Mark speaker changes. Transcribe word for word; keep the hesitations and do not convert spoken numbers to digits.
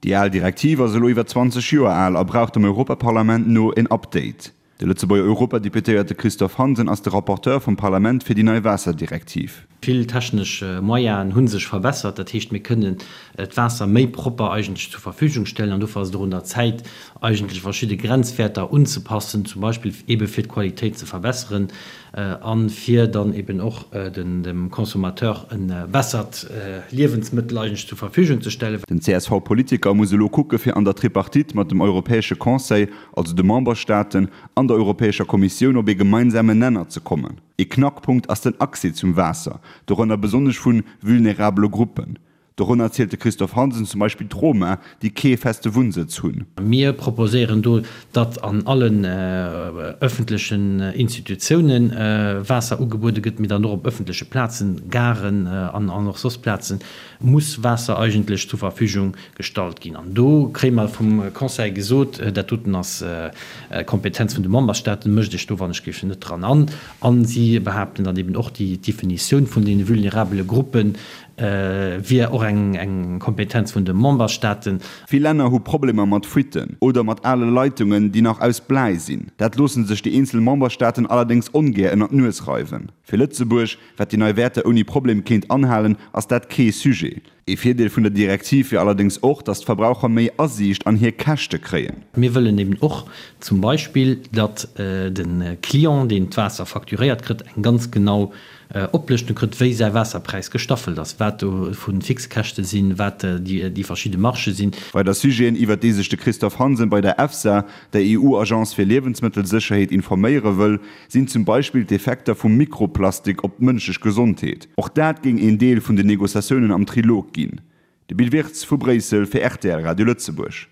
Speaker 1: Déi al Direktiv ass elo iwwer zwanzeg Joer al a brauch dem Europaparlament no en Update. De Lëtzebuerger Europadeputéierte Christophe Hansen ass de Rapporteur vum Parlament fir déi nei Waasserdirektiv.
Speaker 2: Vill technesch Moyenen hu sech verbessert, dat heescht mir kënnen d'Waasser méi propper eigentlech zur Verfügung stellen an dofir ass et och un der Zäit eigentlech verschidde Grenzwäerter unzepassen, zum Beispill eebe fir d'Qualitéit ze verbesseren a fir dann eben och dem Consommateur e bessert Liewensmëttel eigentlech zur Verfügung ze stellen.
Speaker 1: Den C S V-Politiker muss elo kucke fir an der Tripartite mat dem Europäesche Conseil, also de Memberstaaten, an der Europäescher Kommissioun op ee gemeinsamen Nenner ze kommen. Ee Knackpunkt ass den Accès zum Waasser, dorënner besonnesch vu vulnerabele Gruppen. Dorënner zielt de Christophe Hansen zum Beispill d'Roma, déi kee feste Wunnsëtz hunn.
Speaker 2: Mir proposéieren do, datt an allen ëffentlechen Institutiounen Waasser ugebuede gëtt, mee dann och op ëffentleche Plazen, Garen an och soss Plazen, muss Waasser eigentlech zur Verfügung gestallt ginn. An do kréie mer vum Conseil gesot, dat doten ass Kompetenz vun de Memberstaaten, mëscht Iech do wann ech géif net dran an. A si behaapten dann eben och, déi Definitioun vun deene vulnerabele Gruppe wier och eng Kompetenz vun de Memberstaaten.
Speaker 1: Vill Länner hu Problemer mat Fuitten oder mat ale Leitungen, déi nach aus Bläi sinn. Dat loosse sech déi eenzel Memberstaaten allerdéngs ongär ënner d'Nues reiwen. Fir Lëtzebuerg, wat déi nei Wäerter ouni Problem kéint anhalen, ass dat kee Sujet. Ee Virdeel vun der Direktiv wier allerdéngs och, datt d'Verbraucher méi Asiicht an hir Käschte kréien.
Speaker 2: Mir wëllen eben och zum Beispill, datt de Client, deen d'Waasser facturéiert kritt, eng ganz genau Oplëschtung kritt, wéi säi Waasserpräis gestaffelt ass, wat do vu Fixkäschte sinn, wat déi verschidde Margë sinn.
Speaker 1: Weider Sujeten, iwwert déi sech de Christophe Hansen bei der EFSA, der E U-Agence fir Liewensmëttelsécherheet, informéiere wëll, sinn zum Beispill d'Effekter vum Mikroplastik op d'mënschlech Gesondheet. Och dat géing een Deel vun den Negociatiounen am Trilog ginn. De Bill Wirtz vu Bréissel fir R T L Radio Lëtzebuerg.